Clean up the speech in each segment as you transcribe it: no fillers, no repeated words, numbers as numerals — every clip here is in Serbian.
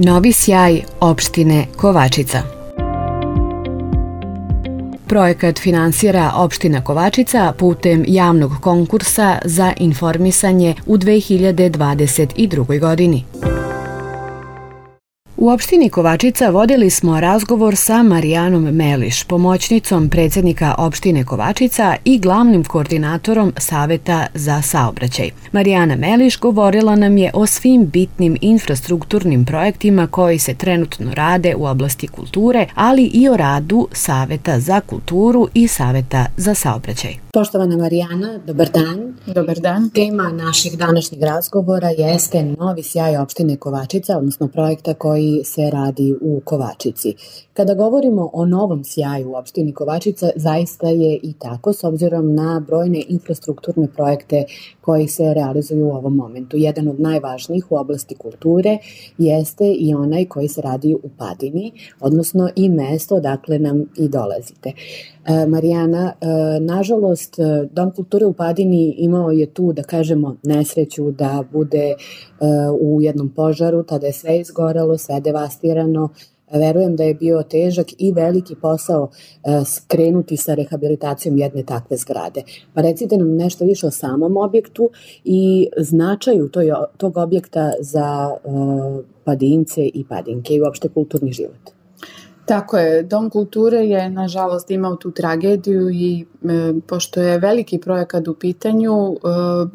Novi sjaj opštine Kovačica. Projekat finansira opština Kovačica putem javnog konkursa za informisanje u 2022. godini. U opštini Kovačica vodili smo razgovor sa Marijanom Meliš, pomoćnicom predsjednika opštine Kovačica i glavnim koordinatorom Saveta za saobraćaj. Marijana Meliš govorila nam je o svim bitnim infrastrukturnim projektima koji se trenutno rade u oblasti kulture, ali i o radu Saveta za kulturu i Saveta za saobraćaj. Poštovana Marijana, dobar dan. Dobar dan. Tema našeg današnjeg razgovora jeste Novi sjaj opštine Kovačica, odnosno projekta koji se radi u Kovačici. Kada govorimo o novom sjaju u opštini Kovačica, zaista je i tako s obzirom na brojne infrastrukturne projekte koji se realizuju u ovom momentu. Jedan od najvažnijih u oblasti kulture jeste i onaj koji se radi u Padini, odnosno i mesto odakle nam i dolazite. Marijana, nažalost, Dom kulture u Padini imao je tu, da kažemo, nesreću da bude u jednom požaru, tada je sve izgorelo, sve devastirano. Verujem da je bio težak i veliki posao skrenuti sa rehabilitacijom jedne takve zgrade. Pa recite nam nešto više o samom objektu i značaju tog objekta za Padince i Padinke i uopšte kulturni život. Tako je, Dom kulture je nažalost imao tu tragediju i pošto je veliki projekat u pitanju,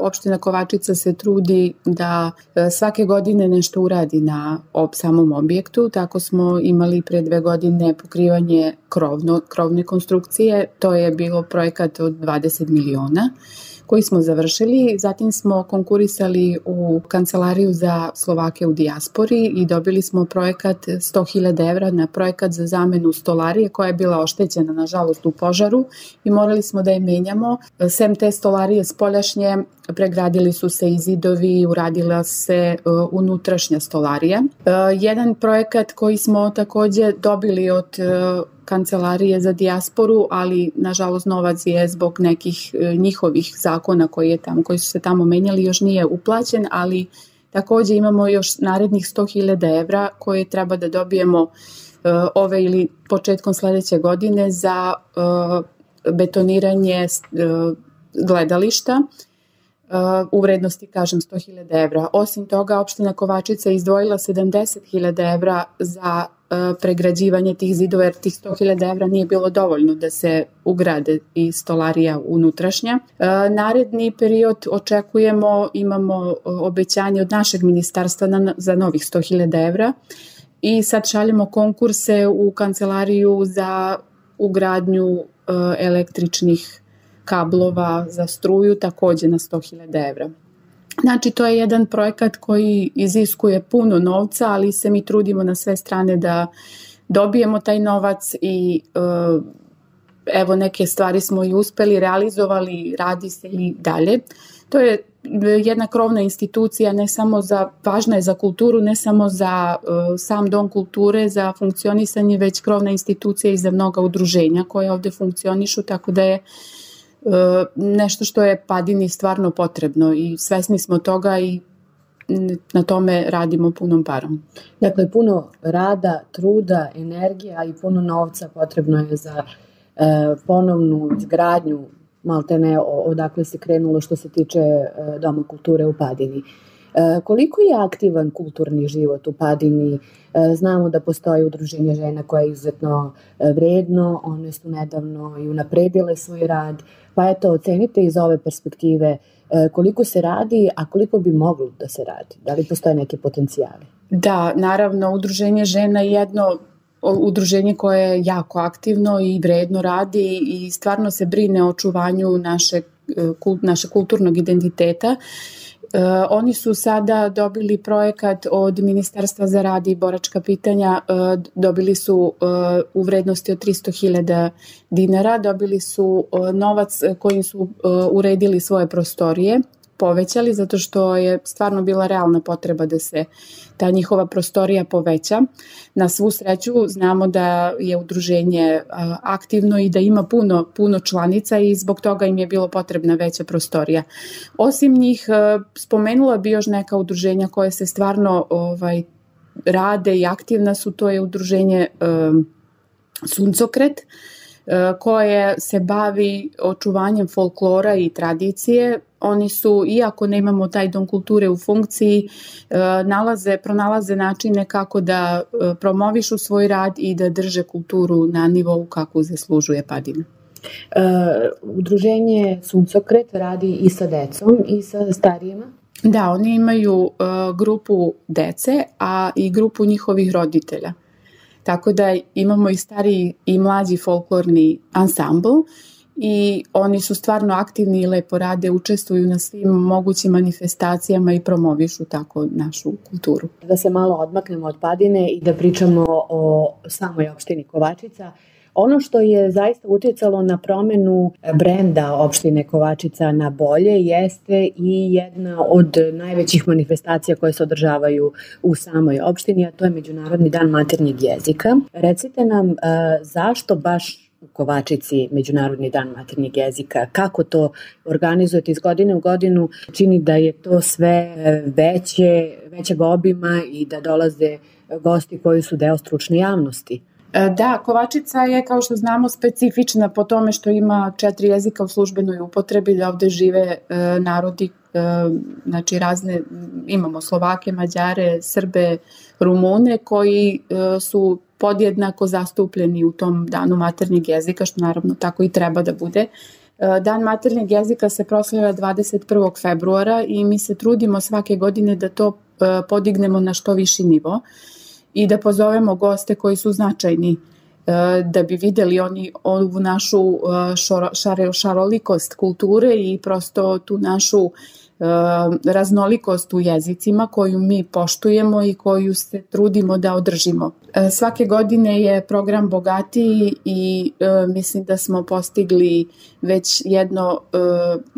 opština Kovačica se trudi da svake godine nešto uradi na samom objektu. Tako smo imali pre 2 godine pokrivanje krovne konstrukcije, to je bilo projekat od 20 miliona koji smo završili. Zatim smo konkurisali u Kancelariju za Slovake u dijaspori i dobili smo projekat 100.000 evra na projekat za zamenu stolarije koja je bila oštećena nažalost u požaru i morali smo da je menjamo. Sem te stolarije spoljašnje pregradili su se i zidovi, uradila se unutrašnja stolarija. Jedan projekat koji smo takođe dobili od Kancelarije za dijasporu, ali nažalost novac je zbog nekih njihovih zakona koji su se tamo menjali još nije uplaćen, ali takođe imamo još narednih 100.000 evra koje treba da dobijemo ove ili početkom sledeće godine za betoniranje gledališta u vrednosti, kažem, 100.000 evra. Osim toga, opština Kovačica je izdvojila 70.000 evra za pregrađivanje tih zidova, jer tih 100.000 evra nije bilo dovoljno da se ugrade i stolarija unutrašnja. Naredni period očekujemo, imamo obećanje od našeg ministarstva za novih 100.000 evra i sad šaljemo konkurse u Kancelariju za ugradnju električnih kablova za struju takođe na 100.000 evra. Znači, to je jedan projekat koji iziskuje puno novca, ali se mi trudimo na sve strane da dobijemo taj novac i evo neke stvari smo i uspeli, realizovali, radi se i dalje. To je jedna krovna institucija, važna je za kulturu, ne samo za sam Dom kulture, za funkcionisanje, već krovna institucija i za mnoga udruženja koje ovde funkcionišu, tako da je nešto što je Padini stvarno potrebno i svesni smo toga i na tome radimo punom parom. Dakle, puno rada, truda, energija i puno novca potrebno je za ponovnu izgradnju, maltene odakle se krenulo što se tiče Doma kulture u Padini. Koliko je aktivan kulturni život u Padini? Znamo da postoji udruženje žena koje je izuzetno vredno, one su nedavno i unapredile svoj rad, pa eto, ocenite iz ove perspektive koliko se radi, a koliko bi moglo da se radi? Da li postoje neke potencijale? Da, naravno, udruženje žena je jedno udruženje koje je jako aktivno i vredno radi i stvarno se brine o očuvanju našeg kulturnog identiteta. Oni su sada dobili projekat od Ministarstva za rad i boračka pitanja, dobili su u vrednosti od 300.000 dinara, dobili su novac kojim su uredili svoje prostorije, povećali zato što je stvarno bila realna potreba da se ta njihova prostorija poveća. Na svu sreću znamo da je udruženje aktivno i da ima puno članica i zbog toga im je bilo potrebna veća prostorija. Osim njih spomenula bi još neka udruženja koje se stvarno rade i aktivna su, to je udruženje Suncokret, koje se bavi očuvanjem folklora i tradicije. Oni su, iako nemamo taj dom kulture u funkciji, pronalaze načine kako da promovišu svoj rad i da drže kulturu na nivou kako zaslužuje Padina. Udruženje Suncokret radi i sa decom i sa starijima? Da, oni imaju grupu dece, a i grupu njihovih roditelja. Tako da imamo i stariji i mlađi folklorni ansambl i oni su stvarno aktivni i lepo rade, učestvuju na svim mogućim manifestacijama i promovišu tako našu kulturu. Da se malo odmaknemo od Padine i da pričamo o samoj opštini Kovačica. Ono što je zaista utjecalo na promenu brenda opštine Kovačica na bolje jeste i jedna od najvećih manifestacija koje se održavaju u samoj opštini, a to je Međunarodni dan maternjeg jezika. Recite nam zašto baš u Kovačici Međunarodni dan maternjeg jezika, kako to organizujete iz godine u godinu, čini da je to sve većeg obima i da dolaze gosti koji su deo stručne javnosti. Da, Kovačica je, kao što znamo, specifična po tome što ima 4 jezika u službenoj upotrebi, da ovde žive narodi, znači imamo Slovake, Mađare, Srbe, Rumune, koji su podjednako zastupljeni u tom danu maternjeg jezika, što naravno tako i treba da bude. Dan maternjeg jezika se proslavlja 21. februara i mi se trudimo svake godine da to podignemo na što viši nivo i da pozovemo goste koji su značajni da bi videli oni ovu našu šarolikost kulture i prosto tu našu raznolikost u jezicima koju mi poštujemo i koju se trudimo da održimo. Svake godine je program bogatiji i mislim da smo postigli već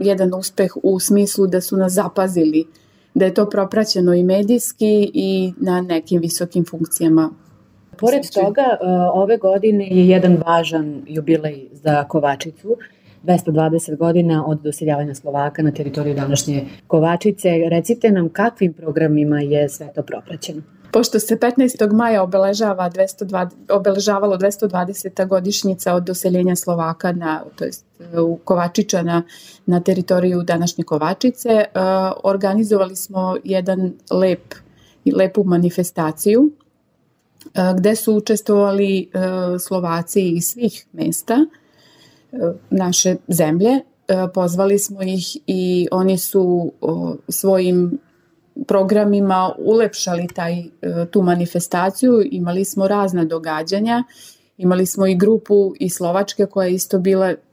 jedan uspeh u smislu da su nas zapazili, da je to propraćeno i medijski i na nekim visokim funkcijama. Pored toga, ove godine je jedan važan jubilej za Kovačicu, 220 godina od doseljavanja Slovaka na teritoriju današnje Kovačice. Recite nam kakvim programima je sve to propraćeno? Pošto se 15. maja obeležavalo 220. godišnjica od doseljenja Slovaka, u Kovačičana na teritoriju današnje Kovačice, organizovali smo lepu manifestaciju gde su učestvovali Slovaci iz svih mesta naše zemlje. Pozvali smo ih i oni su svojim programima ulepšali tu manifestaciju. Imali smo razna događanja, imali smo i grupu iz Slovačke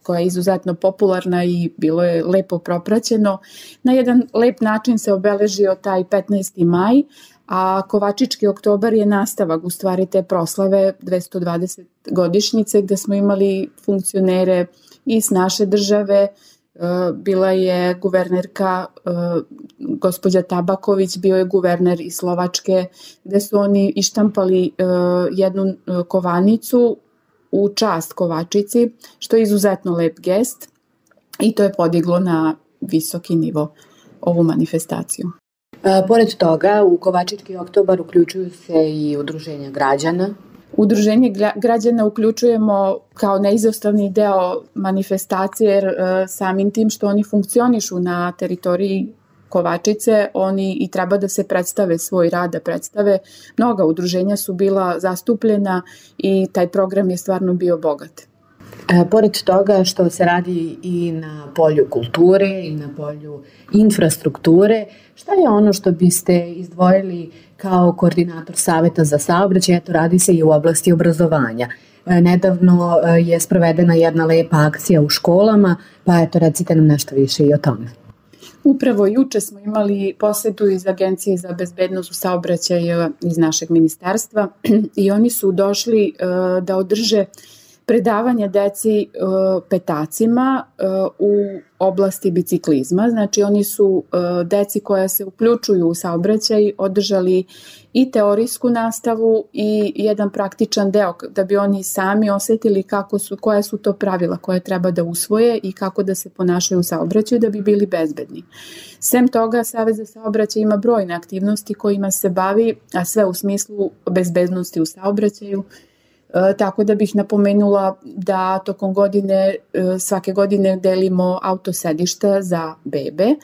koja je izuzetno popularna i bilo je lepo propraćeno. Na jedan lep način se obeležio taj 15. maj, a Kovačički oktobar je nastavak u stvari te proslave 220 godišnjice gde smo imali funkcionere iz naše države. Bila je guvernerka gospođa Tabaković, bio je guverner iz Slovačke, gde su oni ištampali jednu kovanicu u čast Kovačici, što je izuzetno lep gest i to je podiglo na visoki nivo ovu manifestaciju. Pored toga, u Kovačički oktobar uključuju se i udruženja građana. Udruženje građana uključujemo kao neizostavni deo manifestacije, jer samim tim što oni funkcionišu na teritoriji Kovačice, oni i treba da se predstave svoj rad, da predstave. Mnoga udruženja su bila zastupljena i taj program je stvarno bio bogat. Pored toga što se radi i na polju kulture i na polju infrastrukture, šta je ono što biste izdvojili kao koordinator Saveta za saobraćaj? Eto, radi se i u oblasti obrazovanja. Nedavno je sprovedena jedna lepa akcija u školama, pa eto, recite nam nešto više i o tome. Upravo juče smo imali posetu iz Agencije za bezbednost u saobraćaju iz našeg ministarstva i oni su došli da održe predavanje deci petacima u oblasti biciklizma. Znači oni su deci koja se uključuju u saobraćaj održali i teorijsku nastavu i jedan praktičan deo da bi oni sami osetili koja su to pravila koje treba da usvoje i kako da se ponašaju u saobraćaju da bi bili bezbedni. Sem toga, Savet za saobraćaj ima brojne aktivnosti kojima se bavi, a sve u smislu bezbednosti u saobraćaju. Tako da bih napomenula da tokom godine, svake godine delimo autosedišta za bebe.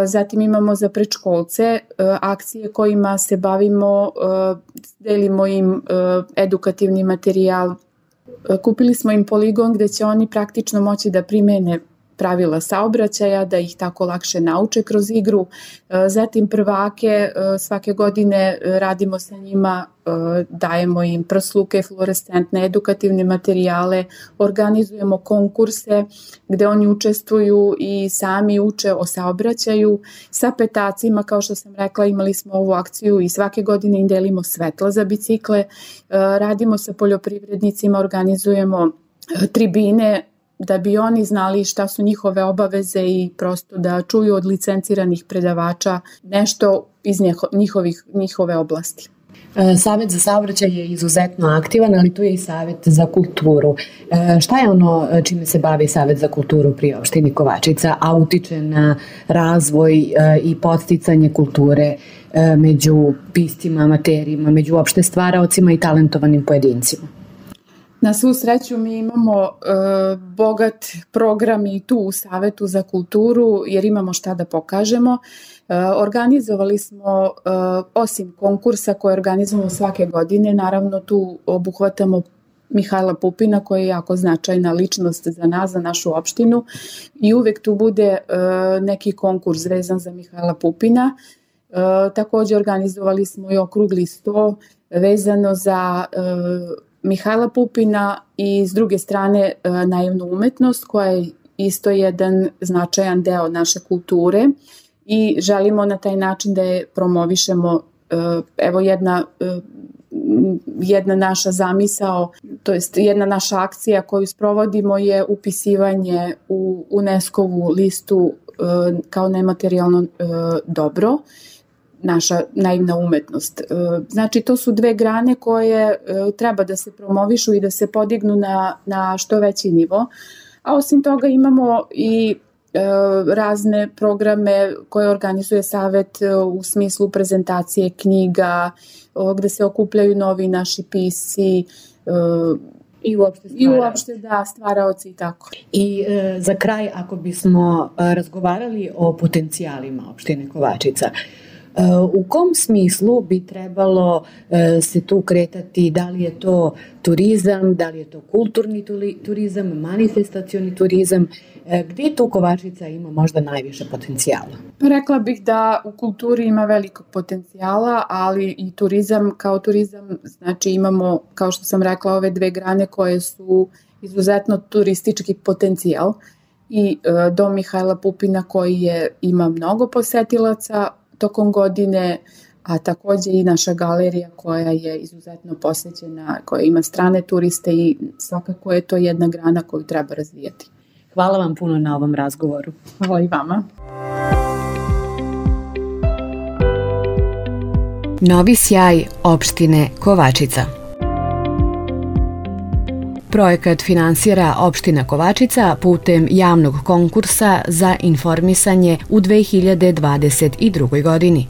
Zatim imamo za predškolce akcije kojima se bavimo, delimo im edukativni materijal. Kupili smo im poligon gde će oni praktično moći da primene pravila saobraćaja, da ih tako lakše nauče kroz igru. Zatim prvake, svake godine radimo sa njima, dajemo im prsluke, fluorescentne, edukativne materijale, organizujemo konkurse gde oni učestvuju i sami uče o saobraćaju. Sa petacima, kao što sam rekla, imali smo ovu akciju i svake godine im delimo svetla za bicikle. Radimo sa poljoprivrednicima, organizujemo tribine, da bi oni znali šta su njihove obaveze i prosto da čuju od licenciranih predavača nešto iz njihove oblasti. Savet za saobraćaj je izuzetno aktivan, ali tu je i Savet za kulturu. Šta je ono čime se bavi Savet za kulturu pri opštini Kovačica, a utiče na razvoj i podsticanje kulture među piscima, amaterima, među uopšte stvaraocima i talentovanim pojedincima? Na svu sreću mi imamo bogat program i tu u Savetu za kulturu jer imamo šta da pokažemo. Organizovali smo, osim konkursa koje organizujemo svake godine, naravno tu obuhvatamo Mihajla Pupina koja je jako značajna ličnost za nas, za našu opštinu i uvek tu bude neki konkurs vezan za Mihajla Pupina. Takođe organizovali smo i okrugli sto vezano za Mihajla Pupina i s druge strane naivnu umetnost koja je isto jedan značajan deo naše kulture i želimo na taj način da je promovišemo. Evo jedna naša zamisao, to jest jedna naša akcija koju sprovodimo je upisivanje u UNESCO-vu listu kao nematerijalno dobro, naša naivna umetnost. Znači to su dve grane koje treba da se promovišu i da se podignu na što veći nivo, a osim toga imamo i razne programe koje organizuje Savet u smislu prezentacije knjiga, gde se okupljaju novi naši pisci i uopšte stvaraoci i tako. I za kraj, ako bismo razgovarali o potencijalima opštine Kovačica, u kom smislu bi trebalo se tu kretati, da li je to turizam, da li je to kulturni turizam, manifestacioni turizam, gdje tu Kovačica ima možda najviše potencijala? Rekla bih da u kulturi ima velikog potencijala, ali i turizam kao turizam, znači imamo, kao što sam rekla, ove dve grane koje su izuzetno turistički potencijal i Dom Mihajla Pupina koji ima mnogo posetilaca tokom godine, a takođe i naša galerija koja je izuzetno posećena, koja ima strane turiste i svakako je to jedna grana koju treba razvijati. Hvala vam puno na ovom razgovoru. Hvala i vama. Novi sjaj opštine Kovačica. Projekat finansira opština Kovačica putem javnog konkursa za informisanje u 2022. godini.